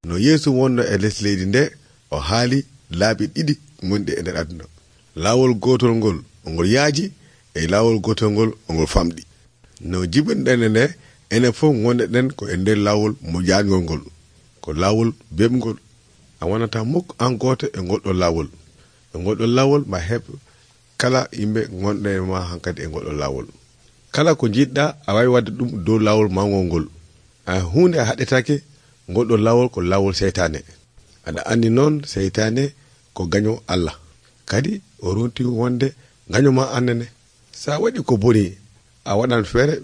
no Yeesu wonno e les leydi nde o haali laabi ɗiɗi gonɗi e nder aduna. Laawol gotol ngol ngol yaaji e laawol gotol ngol ngol famɗi. No jibinɗen nde enen fof gonɗen ko e nder laawol mo jaangol ngol, ko laawol bemgol. A wonata mukk an goto e golɗo laawol. E golɗo laawol ma heb kala yimɓe gonɗe ma hankadi e golɗo laawol. Kala ko jiɗɗa a wawi wadde ɗum dow laawol mawgol ngol. Hunde a haɗetake golɗo laawol ko laawol seytane. Aɗa andi noon seytane ko gaño Allah. Kadi o ronti wonde gaño ma annene. Sa waɗi ko boni a waɗan feere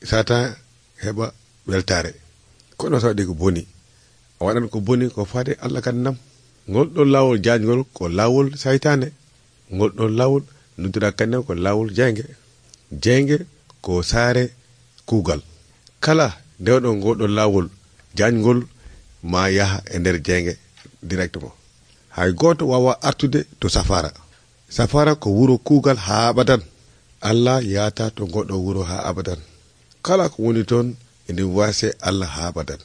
Satan heɓa weltare. Kono sa waɗi ko boni a waɗan ko boni ko fade Allah kadi nam. Golɗo laawol jaajgol ko laawol saytane. Golɗo laawol nodira kadi ko laawol jeyge. Jeyge ko saare kuugal. Kala dewɗo golɗo laawol jaajgol ma yaha e nder jeyge directement. Hay goto wawa artude to safara. Safara ko wuro kuugal ha abadan. Allah yata to goɗɗo wuro ha abadan. Kala ko woni toon ene wase Allah ha abadan.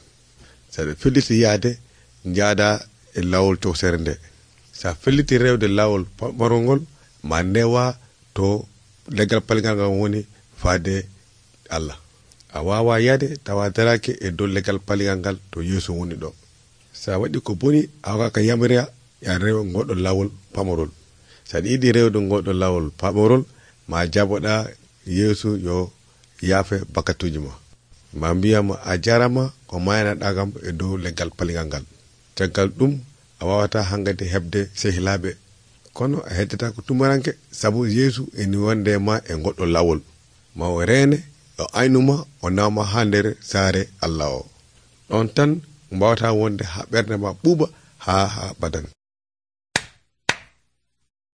Saɓe felliti yaade jaada e laawol towsere nde. Sa felliti rewde laawol pamarol ngol ma newa to leggal palgal ngal woni faade Allah. A wawa yaade tawa darake e dow leggal palgal ngal to Yeesu woni ɗo. Sa waɗi ko boni a waka yamira ya rewa goɗɗo laawol pamarol. Saɗa yiɗi rewde goɗɗo laawol pamarol ma jaboɗa Yeesu yo yaafe bakatuji ma. Ma mbiyama a jarama ko mayanaɗa kam e dow leggal palgal ngal. Caggal ɗum a wawata hangade hebde sehilaɓe. Kono a heddata ko tumaranke sabu Yeesu eni wonde ma e goɗɗo laawol. Ma o reene o aynuma o nawma ha nder saare Allah o. Ɗon tan mbawata wonde ha ɓernde ma ɓuuɓa ha badan.